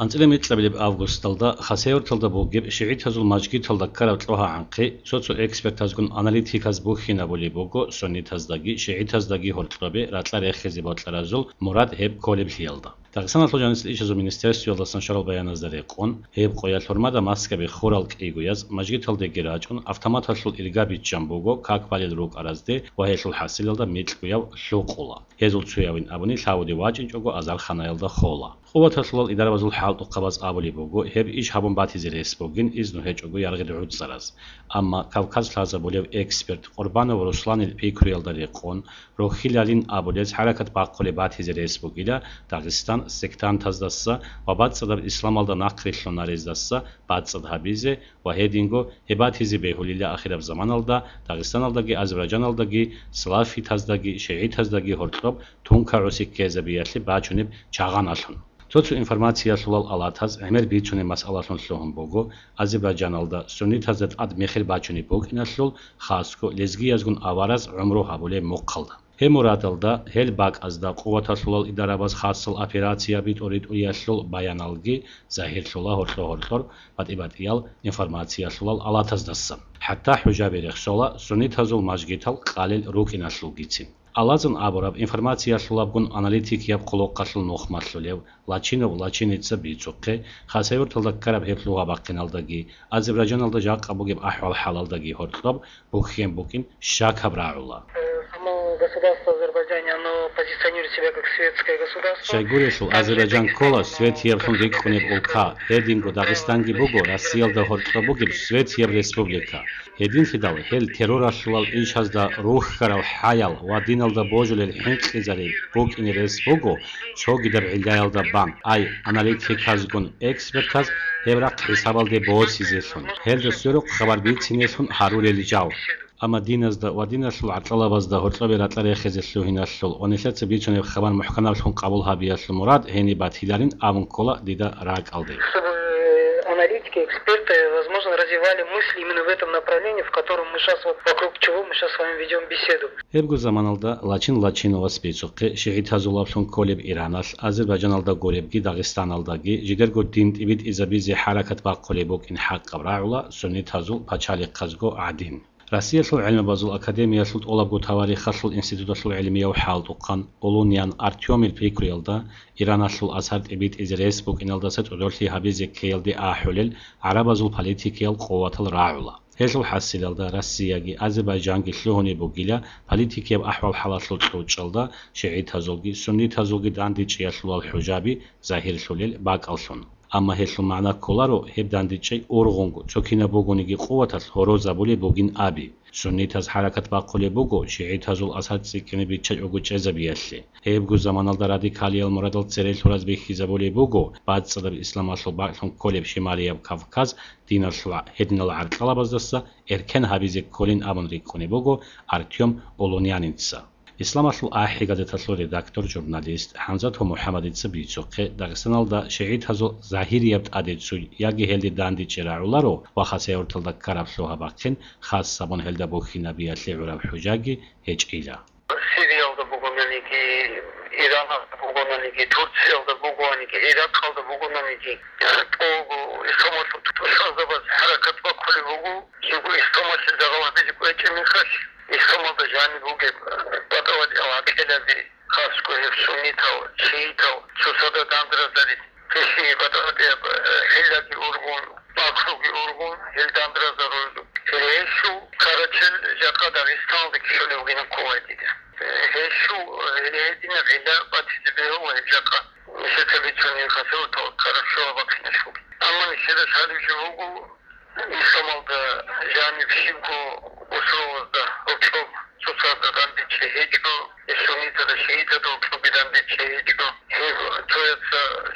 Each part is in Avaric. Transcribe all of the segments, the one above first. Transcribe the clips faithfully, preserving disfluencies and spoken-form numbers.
АнцӀила микьабилеб августалда Хасавюрталда бугеб шигӀитазул мажгиталда ккараб кьогьагӀанхъе цо-цо экспертазгун аналитиказ бухьинабулеб буго суннитаздаги шигӀитаздаги гьоркьобе ракьа рехизе бокьаразул мурад гьеб кколеблъиялда. Дагъистаналъул жанисел ишазул министерствоялдасан щварал баяназда рекъон, гьеб къоялъ гьурмада Москваби хурал кӀийгояз мажгиталдеги рачӀун, автоматалъул ирга биччан буго как балел рукӀаразде ва гьелъул хӀасилалда микьгояв лъукъула. Гьезул цоявин абуни лъавуде вачӀинчӀого азарханаялда хола. Къуваталъулал идарабазул хӀалтӀухъабаз абулеб буго, гьеб иш гьабун батизе рес бугин изну гьечӀого яргъи дугӀуцӀцӀараз. Амма Кавказ лъазабулев эксперт Къурбанов Русланил пикруялда рекъон, рохьилалин абулез хӀаракат бахъулеб батизе рес бугила Дагъистан сектантаздаса ва бацӀцӀадаб исламалда нахърилълъун нарездаса бацӀцӀад гьабизе ва гьединго гьеб батизе бегьулила ахираб заманалда Дагъистаналдаги Азербайджаналдаги салафитаздаги шигӀитаздаги гьоркьоб тункагӀуси ккезабиялъе бачунеб чагъаналъун. Цо-цо информациялъулал алатаз гӀемер бицунеб масъалалъун лъугьун буго Азербайджаналда суннитазда тӀад мехир бачунеб букӀиналъул, хасго лезгиязгун авараз гӀумру гьабулеб мухъалда. Гьеб мурадалда, гьел бакӀазда къуваталъулал идарабаз хасал операцияби тӀуритӀуялъул баяналги загьирлъула гьоркьо-гьоркьор батӀи-батӀиял информациялъулал алатаздасан. ХӀатта хӀужаби рехсола суннитазул мажгитал къалел рукӀиналъулгицин. Алазан абураб информациялъулабгун аналитикияб хъулухъалъул нухмалъулев Лачинов Лачиница бицухъе, Хасавюрталда ккараб гьеб лъугьа-бахъиналдаги, Азербайджаналда жакъа бугеб ахӀвал-хӀалалдаги гьоркьоб бухьен букӀин щакаб рагӀула. Э, само государство Азербайджане, оно позиционирует себя как светское государство. Щайгурелъул Азербайджан ккола светияб лъун рикӀкӀунеб улка, гьединго Дагъистанги буго Россиялда гьоркьоб бугеб светияб республика. Гьединлъидал гьел терроралъулал ишазда рухьарал хӀаял ва диналда божулел хӀинкъизари букӀине рес буго цогидаб гӀиллаялда бан, ай, аналитиказгун экспертаз гьеб рахъ хӀисабалде босизелъун, гьелда сверухъ хабар бицинелъун гьарулел жал. Амма диназда ва диналъул гӀаркьалабазда гьоркьобе ракьа рехизе лъугьиналъул ва нилъеца бицунеб хабар мухӀканаблъун къабул гьабиялъул мурад гьениб батиларин абун ккола дида ракӀалде. Чтобы аналитики, эксперты, возможно, развивали мысли именно в этом направлении, в котором мы щас вот, вокруг чего мы щас с вами ведём беседу. Гьебго заманалда Лачин Лачиновас бицухъе шигӀитазулаблъун кколеб Ираналъ, Азербайджаналда гуребги Дагъистаналдаги жидерго дин тӀибитӀизабизе хӀаракат бахъулеб букӀин хӀакъаб рагӀула суннитазул пачалихъазго гӀадин. Россиялъул гӀелмабазул академиялъул тӀолабго таварихалъул институталъул гӀелмияв хӀалтӀухъан Олунян Артёмил пикруялда, Ираналъул асар тӀибитӀизе рес букӀиналдаса цӀодорлъи гьабизе ккеялде ахӀулел гӀарабазул политикиял къуватал рагӀула. Гьелъул хӀасилалда Россияги Азербайджанги лъугьунеб бугила политикияб ахӀвал-хӀалалъул кьучӀалда шигӀитазулги суннитазулги дандечӀеялъулал хӀужаби загьирлъулел бакӀаллъун. Амма гьелъул магӀна кколаро гьеб дандечӀей ургъунго, цо кинаб бугониги къуваталъ гьорозабулеб бугин аби. Суннитаз хӀаракат бахъулеб буго, шигӀитазул асар цӀикӀкӀине биччачӀого чӀезабиялъе. Гьебго заманалда радикалиял мурадал церелъураз бихьизабулеб буго, бацӀцӀадаб исламалъул бакӀлъун кколеб Шималияб Кавказ диналъул гьединал гӀаркьалабаздаса эркен гьабизе кколин абун рикӀкӀунеб буго Артём Олуняница. Исламалъул ахӀи газеталъул редактор, журналист ХӀамзатов МухӀаммадица бицухъе, Дагъистаналда шигӀитазул загьирияб тӀаде цуй яги гьелде дандечӀей рагӀуларо ва Хасавюрталда ккараб лъугьа-бахъин хас гьабун гьелда бухьинабиялъе гӀураб хӀужаги гьечӀила. Сириялда бугонаниги, Ираналда бугонаниги, Турциялда бугонаниги, Иракалда бугонаниги, тӀого исламалъул тушманзабаз хӀаракат бахъулеб буго, жего исламалъе загьал гьабизе кӀвечӀеб мехалъ. Исламалда жаниб бугеб батӀа-батӀиял гӀакъидаби, хасго гьеб суннитал, шиитал, цоцазда дандразари, гьелъие батӀа-батӀияб, э, хӀиллаги ургъун, макруги ургъун, гьел дандразарулел. Гьелъул карачел жакъа Дагъистаналда кколев вугин кколай дида. Э, гьелъул, э, гьединаб гӀилла батизе бегьула гьеб жакъа. Нилъеца бицунеб хасаватал карачел бахъиналъул. Амма нилъеда лъалеб жо буго, исламалда жаниб щибго усулазда гьоркьоб цоцазда дандечӀей гьечӀо, суннитазда, шиитазда гьоркьобги дандечӀей гьечӀо. Гьеб цояз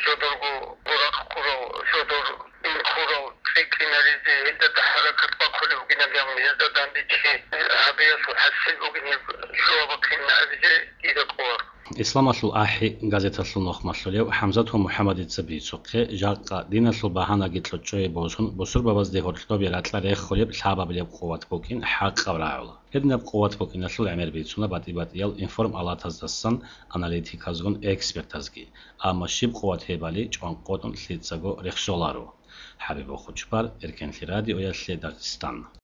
жодорго рахъ ккурал, жодор дин ккурал цӀикӀкӀинаризе, гьелда хӀаракат бахъулеб бугин абун, гьезда дандечӀей гьабиялъул хӀасил бугин гьеб лъугьа-бахъин абизе дида кӀоларо. Исламалъул ахӀи газеталъул нухмалъулев ХӀамзат ва МухӀаммадица бицухъе, жакъа диналъул багьанаги кьучӀчӀое босун, бусурбабазде гьоркьобе ракьа рехулеб лъабабилеб къуват букӀин хӀакъаб рагӀула. Гьединаб къуват букӀиналъул гӀемер бицуна батӀи-батӀиял информалатаздасан аналитиказгун экспертазги, амма щиб къуват гьебали чӀванкъотӀун лъицӀаго рехсоларо. ХӀабиб Хучбар, Эркенлъи радиоялъе, Дагъистан.